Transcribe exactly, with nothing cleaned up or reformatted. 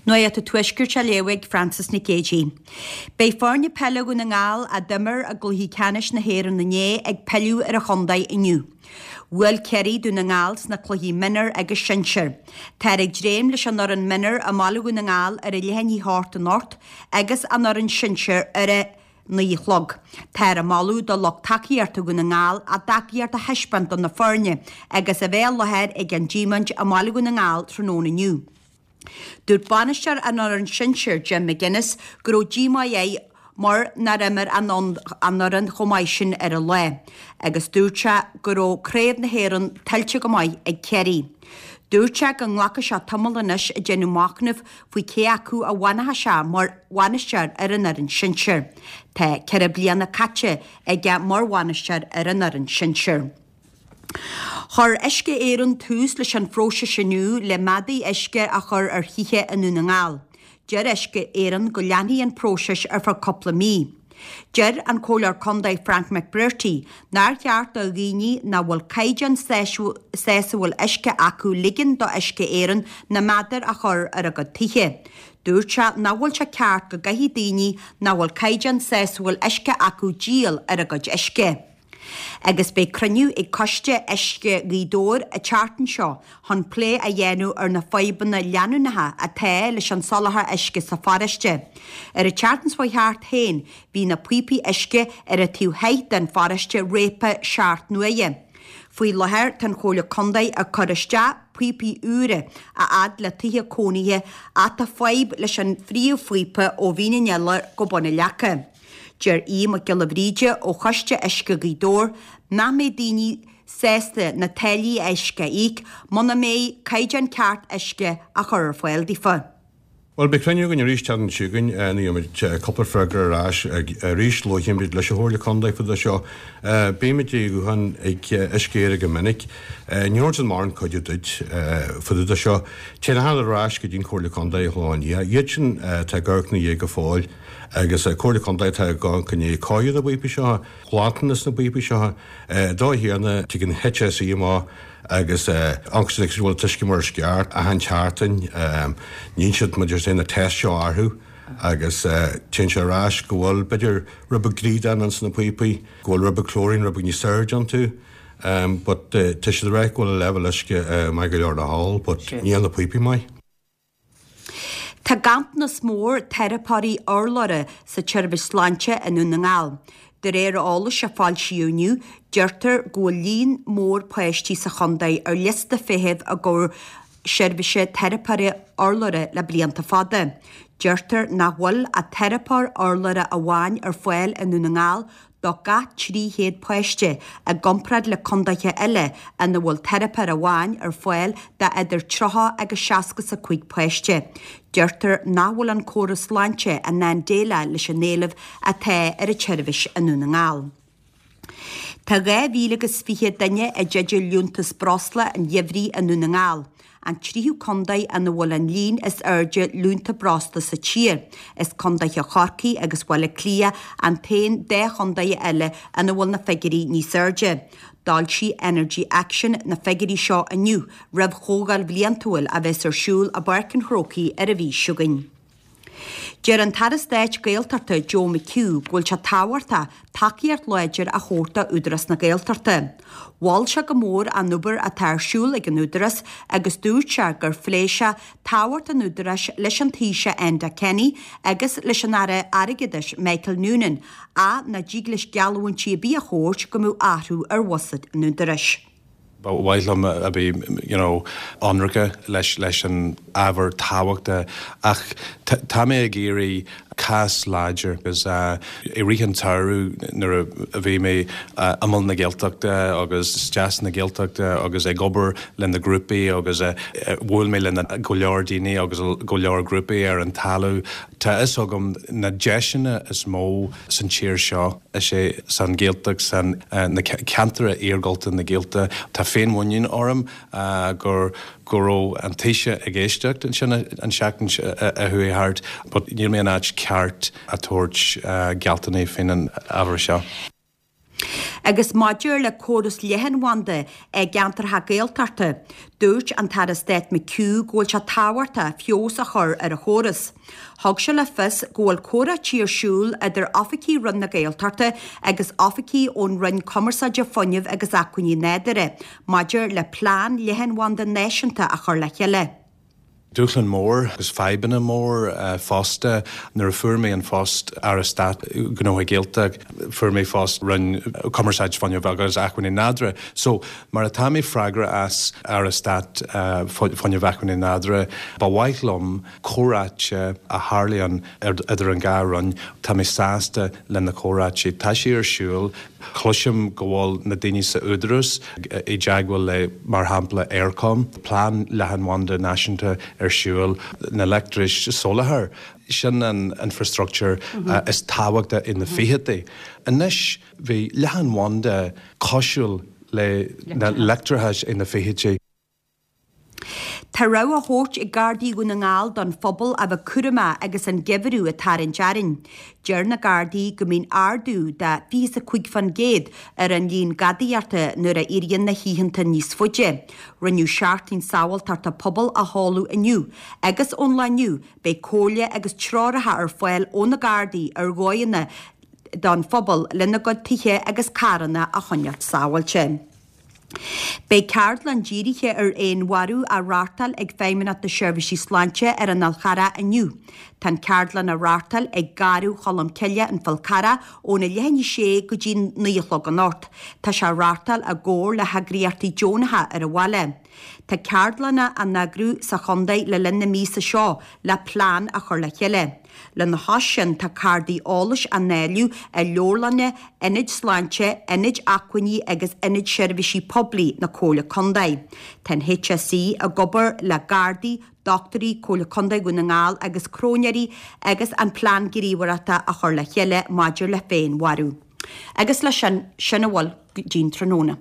Nuacht an Tuaiscirt á léamh ag Frances Nic Géadaigh. Beidh foirne peile Dhún na nGall a d'imir i gcluichí ceannais na hÉireann inné ag pilleadh ar an chontae inniu. Bhuail Ciarraí Dún na nGall sna cluichí mionúr agus sinsir. Táthar ag dréim leis an fhoireann mionúr i mBaile Dhún na nGall ar a leath i ndiaidh a hocht anocht agus an fhoireann sinsir ar a naoi a chlog. Táthar ag moladh do lucht tacaíochta Dhún na nGall a dtacaíocht a thaispeáint do na foirne agus a bheith i láthair ag an díomaint i mBaile Dhún na nGall tráthnóna inniu. Dúirt bainisteoir an fhoireann sinsir Jim McGuinness go raibh díomá air mar nár imir an fhoireann chomh maith sin ar an lá, agus dúirt sé go raibh craobh na hÉireann tuillte go maith ag Ciarraí. Dúirt sé go nglacfaidh sé tamall anois ag déanamh machnaimh faoi cé acu a bhfanfaidh sé mar bhainisteoir ar an fhoireann sinsir. Tá ceithre bliana caite aige mar bhainisteoir ar an fhoireann sinsir. Chuir Uisce Éireann tús leis an phróiseas inniu le meadair uisce a chur ar thithe i nDún na nGall. Deir Uisce Éireann go leanfaidh an próiseas ar feadh cúpla mí. Deir an Comhairleoir Contae Frank McBrearty nár cheart do dhaoine nach bhfuil caighdeán sásúil uisce acu ligean do Uisce Éireann na meadair a chur ar a gcuid tithe. Dúirt sé nach bhfuil sé ceart go gcaithfidh daoine nach bhfuil caighdeán sásúil uisce acu díol ar a gcuid uisce. Agus beidh cruinniú ag Coiste Uisce Ghaoth Dobhair an tseachtain seo chun plé a dhéanamh ar na fadhbanna leanúnacha atá leis an soláthar uisce sa pharóiste. Ar an tseachtain seo thart féin bhí na píopaí uisce ar an taobh thoir den pharóiste réabtha seacht n-uaire. Faoi láthair tá an Chomhairle Contae ag cur isteach píopaí úra a fhad le tithe cónaithe ach tá fadhb leis an phríomhphíopa ó Mhín an Iolair go Bun an Leaca. Deir Aodh Mac Giolla Bhríde ó Choiste Uisce Ghaoth Dobhair nach mbeidh daoine sásta na táillí uisce a íoc muna mbeidh caighdeán ceart uisce á chur ar fáil daofa. Bhuel beidh cruinniú againn arís an tseachtain seo chugainn ní cúpla freagra ar ais arís labhraímid leis an Chomhairle Contae faoi seo. Bímid i ghuthán ag Uisce Éireann go minic. Ní an mar an cuid duit faoi seo. Téann ar ais go dtí an Chomhairle Contae shláine. Iad sin tá gurna dhé go fóill agus Comhairle Contae tá gan cunné cáú na bpíopaí seo, glantanas na bpíopaí seo, dó hiarna tugann HSE má agus ansin bhfuil t-uisce mar is ceart achan tseachtain níonn siad muid sé na test seo orthu agus téann sé ar ais go bhfuil b'fhéidir rud beag griodáin ins na píopaí, go bhfuil rud beag chlorine rud beag níos airde iontu. Um, but uh, tá siad rá go bhfuil leibhéal uisce uh, maith go leor le hól, but níl na píopaí maith. Tá ganntanas mór teiripeoirí urlabhra sa tseirbhís sláinte i nDún na nGall. De réir eolais a foilsíodh inniu, deirtear go bhfuil líon mór páistí sa chontae ar liosta feithimh i gcomhair seirbhíse teiripeoirí urlabhra le blianta fada. Deirtear nach bhfuil ach teiripeoir urlabhra amháin ar fáil i nDún na nGall do gach trí chéad páiste i gcomparáid le contaetha eile ina bhfuil teiripeoir amháin ar fáil do idir tríocha agus seasca is a cúig páiste. Deirtear nach bhfuil an córas sláinte in ann déileáil leis an éileamh atá ar an tseirbhís i nDún na nGall. Tá dhá mhíle agus fiche duine i dteideal liúntas breosla an gheimhridh i nDún na nGall. An tríú contae ina bhfuil an líon is airde liúntas breosla sa tír. Is contaetha Chorcaí agus Bhaile Átha Cliath an t-aon dá chontae eile ina bhfuil na figiúirí níos airde. D'fhoilsigh Energy Action na figiúirí seo inniu roimh chomhdháil bhliantúil a bheas ar siúl i bPáirc an Chrócaigh ar an mhí seo chugainn. Deir an tAire Stáit Gaeltachta Joe McHugh go bhfuil sé tábhachtach tacaíocht láidir a thabhairt do Údarás na Gaeltachta. Mhol sé go mór an obair atá ar siúl ag an Údarás agus dúirt sé gur phléigh sé tábhacht an Údaráis leis an Taoiseach Enda Kenny agus leis an Aire Airgeadais Michael Noonan ach nach dtig leis geallúintí ar bith a thabhairt go mbeadh athrú ar bhuiséad an Údaráis. Ba mhaith liom a bheith you know, ionraice leis leis an ábhar tábhachtach ach tá mé ag iarraidh cás láidir agus uh, i rith an tsamhraidh nuair a bhí mé uh, i Mol na Gaeltachta agus Deasc na Gaeltachta agus ag obair le na grúpaí agus uh, bhuail mé le go leor daoine agus go leor grúpaí ar an talamh. Tá fhios agam na deiseanna is mó san tír seo is é san Ghaeltacht san uh, na ceantair iargúlta na Gaeltachta Tá féinmhuinín orm uh, gur go raibh an Taoiseach ag éisteacht ansin an seachtain a chuaigh thart, but níl mé an áit ceart a tabhairt uh, gealltanais faoin an ábhar seo. Agus maidir le córas leathanbhanda i gceantracha Gaeltachta, dúirt an tAire Stáit McHugh go bhfuil sé tábhachtach feabhas a chur ar an chóras. Thug sé le fios go bhfuil comhráití ar siúl idir oifigigh Roinn na Gaeltachta agus oifigigh ón Roinn Cumarsáide Fuinnimh agus Acmhainní Nádúrtha maidir le plean leathanbhanda náisiúnta a chur le chéile. Dúshlán mór agus fadhbanna mór fosta nuair a fuair mé an phost Aire Stáit Gnóthaí Gaeltachta fuair mé phost Roinn Cumarsáid Fuinnimh agus Acmhainní Nádúrtha. So mar atá mé freagrach as Aire Stáit Fuinnimh Acmhainní Nádúrtha, ba mhaith liom comhráite a tharlaíonn idir an dhá roinn, tá mé sásta le na comhráite. Tá sé ar siúl Cloisim go bhfuil na daoine sa Údarás i dteagmháil le mar shampla Eircom, plean leathanbhanda náisiúnta ar siúl na leictreachais soláthar. Sin an infrastructure is tábhachta in na fichidí. Anois bhí leathanbhanda cosúil le na leictreachais in na fichidí. Tá rabhadh á thabhairt ag Gardaí Dhún na nGall don phobal a bheith cúramach agus an geimhreadh ag tarraingt orainn. Deir na Gardaí go mbíonn ardú de fiche is a cúig faoin gcéad ar an líon gadaíochta nuair a éiríonn na hoícheanta níos faide. Rinneadh seachtain sábháilteachta pobail a sheoladh inniu agus ón lá inniu beidh comhairle agus treoracha ar fáil ó na Gardaí ar dhóigheanna don phobal lena gcuid tithe agus carranna a choinneáil sábháilte. Beidh ceardlann dírithe ar fhéinmharú á reáchtáil ag Feidhmeannacht na Seirbhísí Sláinte ar an Fhál Charrach inniu. Tá an ceardlann á reáchtáil ag Garradh Cholm Cille, An Fál Carrach, óna leath i ndiaidh a sé go dtí naoi a chlog anocht. Tá sé á reáchtáil i gcomhar le heagraíochtaí deonacha ar an bhaile. Tá ceardlanna á n-eagrú sa chontae le linn na míosa seo le plean a chur le chéile. Lena chois sin tá cártaí eolais á ndáileadh i leabharlanna, ionaid sláinte, ionaid acmhainní agus ionaid seirbhísí poiblí na Comhairle Contae. Tá an HSE ag obair le Gardaí, dochtúirí, Comhairle Contae Dhún na nGall agus cróinéirí agus an plean gníomhaireachta á chur le chéile maidir le féinmharú. Agus leis sin, sin a bhfuil go dtí'n tráthnóna.